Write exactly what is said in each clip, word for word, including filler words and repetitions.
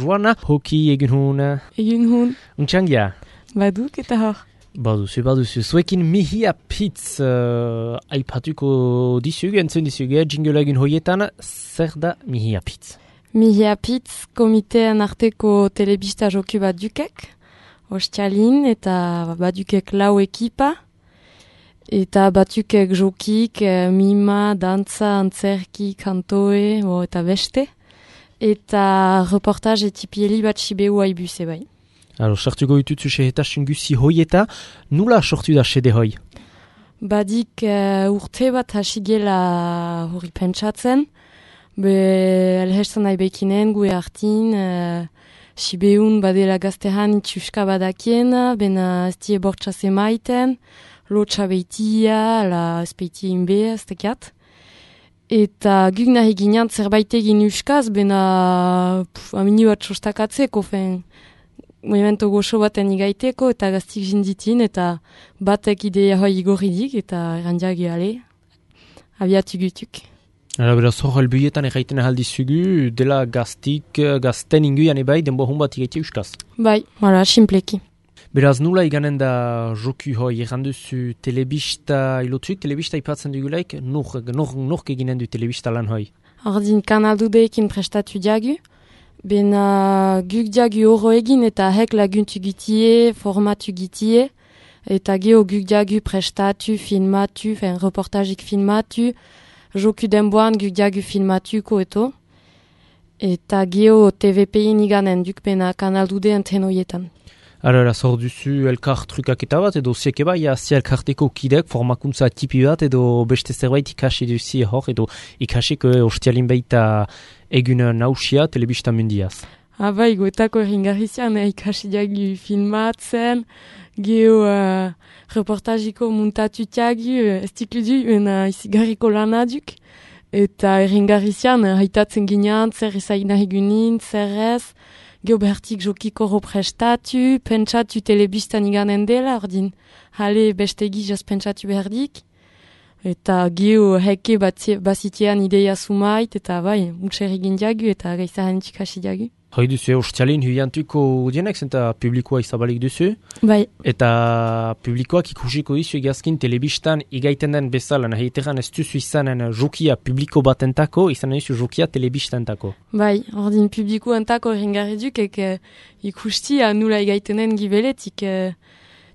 Joana, hoki egin hun. Egin hun. Untxangia? Baduk eta hor. Baduzu, baduzu. Zuekin Mihia Pitz uh, aipatuko dizugu, entzun dizugu, jingle egin hoietan, zer da Mihia Pitz? Mihia Pitz komitean arteko telebista joku bat dukek, ostialin eta badukek lau ekipa, eta batukek jokik, mima, dantza, antzerki, kantoe, bo, eta beste, eta reportaj etipieli bat sibeu haibu zebai. Alors, sartuko ditutzu sehetasun guzi hoieta, nula sortu da sede hoi? Badik uh, urte bat hasigela hori pentsatzen, be elhestan nahi bekinen, gue hartin, uh, sibeun badela gaztehan itxuska badakiena, bena ez die bortxase maiten, lotxa beitia, la espeitia inbe, ez tekiat. Eta guk nahi ginean zerbait egin uskaz, bena puf, amini bat sostakatzeko, fen, movimento goxo baten igaiteko, eta gaztik jinditin, eta batek ideia hoi igorridik, eta errandiak ale, abiatu gutuk. Ara, beraz, hor helbuietan erraiten ahaldizugu, dela gaztik, gazten inguian ebai, denbo hon bat igaitea uskaz. Bai, hala, simpleki. Beraz, nula iganen da joku hoi, erranduzu telebista ilotuik, telebista ipatzen dugulaik, nork nur, nur eginen du telebista lan hoi? Ordin kanaldudeekin prestatu diagu, bena guk diagu horro egin eta hek laguntu gitie, formatu gitie, eta geho guk diagu prestatu, filmatu, fen reportajik filmatu, joku denboan guk diagu filmatuko eto, eta geho T V P-in iganen duk bena kanaldudeen tenoietan. Ara, zor duzu elkar trukak eta bat, edo zieke bai, azia elkarteko kidek, formakuntza tipi bat, edo beste zerbait ikasi duzi hor, edo ikasiko ostialin baita egun nausia telebista mundiaz. Aba, egoetako erringarrizian eh, ikasi diagu filmatzen, geho uh, reportajiko muntatu tiagu, ez tikludu, ena izigarriko lanaduk, eta erringarrizian eh, haitatzen ginean, zer ezain nahi gunin, zer ez, geho behartik jokiko prestatu, pentsatu telebistan iganen dela, ordin, hale beste gizaz pentsatu behardik, eta geho heke bazitean ideia sumait, eta bai, utxer egin diagu, eta gaizahan txikasi diagu. Hoi duzu, ostialin huiantuko dienek, zenta publikoa izabalik duzu. Bai. Eta publikoak ikusiko dizu egazkin telebistan igaiten den bezala, nahi eteran ez duzu izanen jokia publiko batentako, izanen duzu jokia telebistantako. Bai, ordin publikoentako erringarri duk, ek ikustia nula igaitenen gibeletik eh,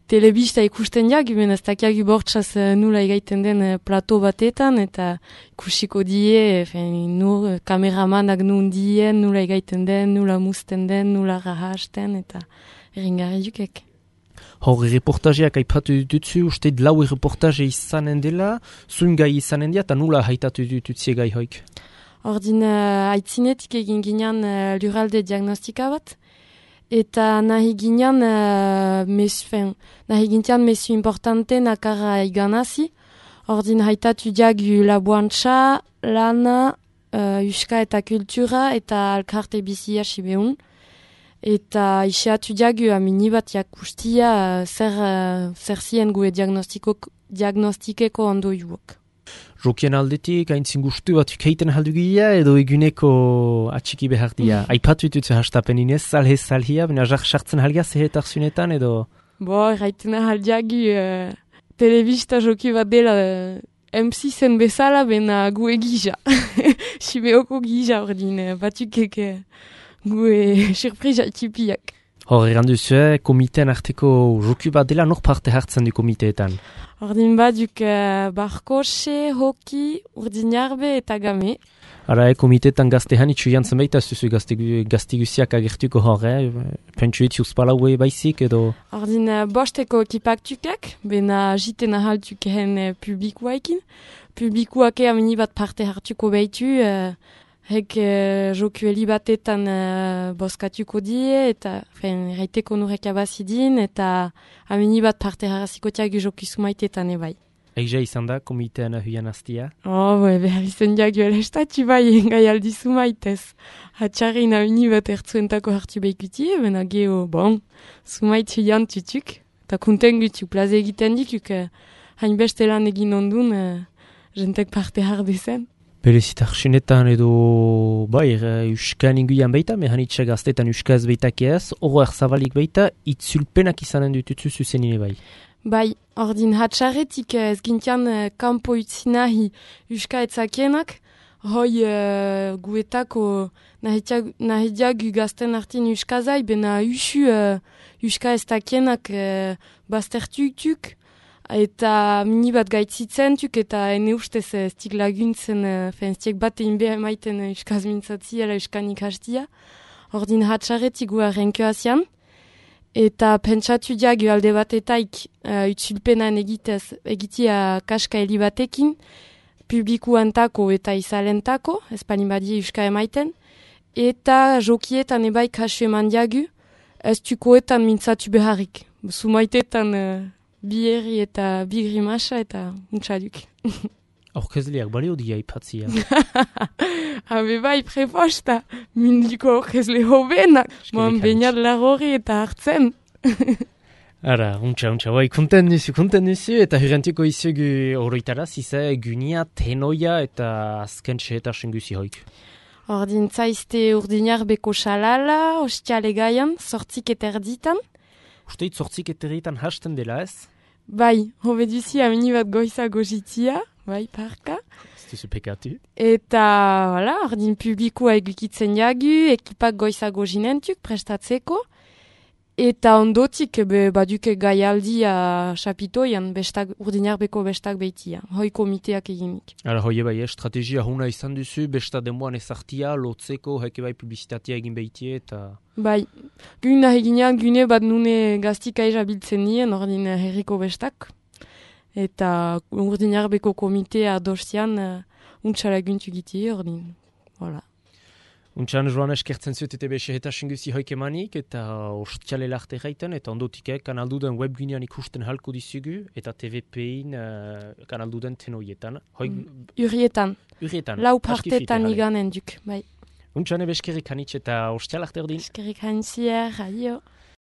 telebista ikusten diag, ben ez dakiagu bortxaz nula igaiten den plato batetan, eta ikusiko die, fen, nur kameramanak nun dien, nula igaiten den, nula musten den, nula rahasten, eta erringarri dukek. Hor, reportajeak aipatu dutzu, uste lau reportaje izanen dela, zuen gai izanen dira, eta nula haitatu dututzie gai hoik? Ordin, uh, aitzinetik egin ginean uh, lurralde diagnostika bat, eta nahi ginean uh, mesu, fen, nahi gintean mesu importante nakarra iganazi, ordin haitatu diagu labuantza, lana, uh, uska eta kultura, eta alkarte bizia sibeun, eta iseatu diagu amini bat jakustia uh, zer, uh, zer zien gue diagnostikeko ondo juok. Jokien aldetik, haintzin gustu bat keiten haldugia, edo eguneko atxiki behar dia. Aipatu ditutze hastapen inez, salhe salhia, bina jark sartzen halgia zehetar zunetan, edo? Bo, erraitena haldiagu uh, telebista joki bat dela uh, M six-en bezala, bena gue gija. Sibeoko gija ordin, uh, batukek uh, gue surprisa tipiak. Hor, erranduzue, komitean arteko joku bat dela, nor parte hartzen du komiteetan? Ordin baduk uh, barkose, hoki, urdinarbe eta game. Ara, e, komiteetan gaztehan itxu jantzen baita, zuzu gaztigusiak agertuko hor, eh? Pentsuet juzpalaue baizik, edo? Ordin uh, bosteko ekipak tukek, bena jiten ahaltukehen uh, publikoaekin. Publikoake amini bat parte hartuko behitu, uh, hek uh, jokueli batetan uh, boskatuko die, eta reiteko nurek abazidin, eta amini bat parte harraziko tiagu joku sumaitetan ebai. Eiza izan da, komitean huian aztia? Oh, be, behar izan diagu elestatu bai, engai aldi sumaitez. Hatxarrein amini bat ertzuentako hartu behikutie, bena geho, bon, sumait huian tutuk, eta kunten gutu, plaze egiten dikuk, uh, hainbeste lan egin ondun, uh, jentek parte hardezen. Berezitak sinetan edo, bai, Euskan inguian baita, mehanitza gaztetan Euskaz baitak ez, horroak zabalik baita, itzulpenak izanen dututzu zuzenine bai. Bai, ordin hatxarretik ez gintian uh, kanpo utzi nahi Euska etzakienak, hoi uh, guetako nahidiak gazten artin Euskazai, bena usu uh, Euska eztakienak uh, baztertutuk, eta mini bat gaitzitzen tuk, eta ene ustez ez tik laguntzen, uh, fenztiek bat egin behar maiten uh, Euskaz mintzatzi, ala Euskan ikastia. Ordin hatxarretik gua renkoazian, eta pentsatu diagu alde batetaik uh, utzulpenan egitez, egitia kaska heli batekin, publikuantako eta izalentako, ez palin badie Euska emaiten, eta jokietan ebai kasu eman diagu, ez tukoetan mintzatu beharrik. Sumaitetan uh, biherri eta bigrimasa eta untsaduk. Aurkezleak balio dia ipatzia. Habe bai preposta, mindiko aurkezle hobenak, moan bainat lagorri eta hartzen. Ara, untxa, untxa, bai, konten duzu, konten duzu, eta hirantiko izugu horretara, ziza, gunia, tenoia eta azken txehetasun guzi hoik. Ordin zaizte urdinar beko xalala, ostiale gaian, sortzik eta erditan. Usteit sortzik eta erditan hasten dela ez? Bai, hobe duzi amini bat goiza gozitia, bai, parka. Ez duzu pekatu. Eta, voilà, ordin publikoa egukitzen jagu, ekipak goiza gozinentuk prestatzeko. Eta ondotik, be, baduke gaialdia xapitoian, bestak, urdinarbeko bestak behitia, hoi komiteak eginik. Ara, hoi bai, estrategia huna izan duzu, besta demoan ezartia, lotzeko, heke bai publizitatea egin behitie, eta... Bai, gune eginean, gune bat nune gaztika ezabiltzen nien, ordin herriko bestak. Eta urdinarbeko komitea dostian, uh, untxara guntu giti, ordin, voilà. Untxan joan eskertzen zut eta bexe eta xinguzi hoik emanik eta ostiale larte gaiten eta ondotik kanalduden webgunean ikusten halko dizugu eta T V P-in uh, kanalduden tenoietan. Hoik... Mm, urrietan. Urrietan. Lau partetan iganen duk, bai. Untxan ebe eskerrik hanitz eta ostiale larte ordin. Eskerrik hanitzier, adio.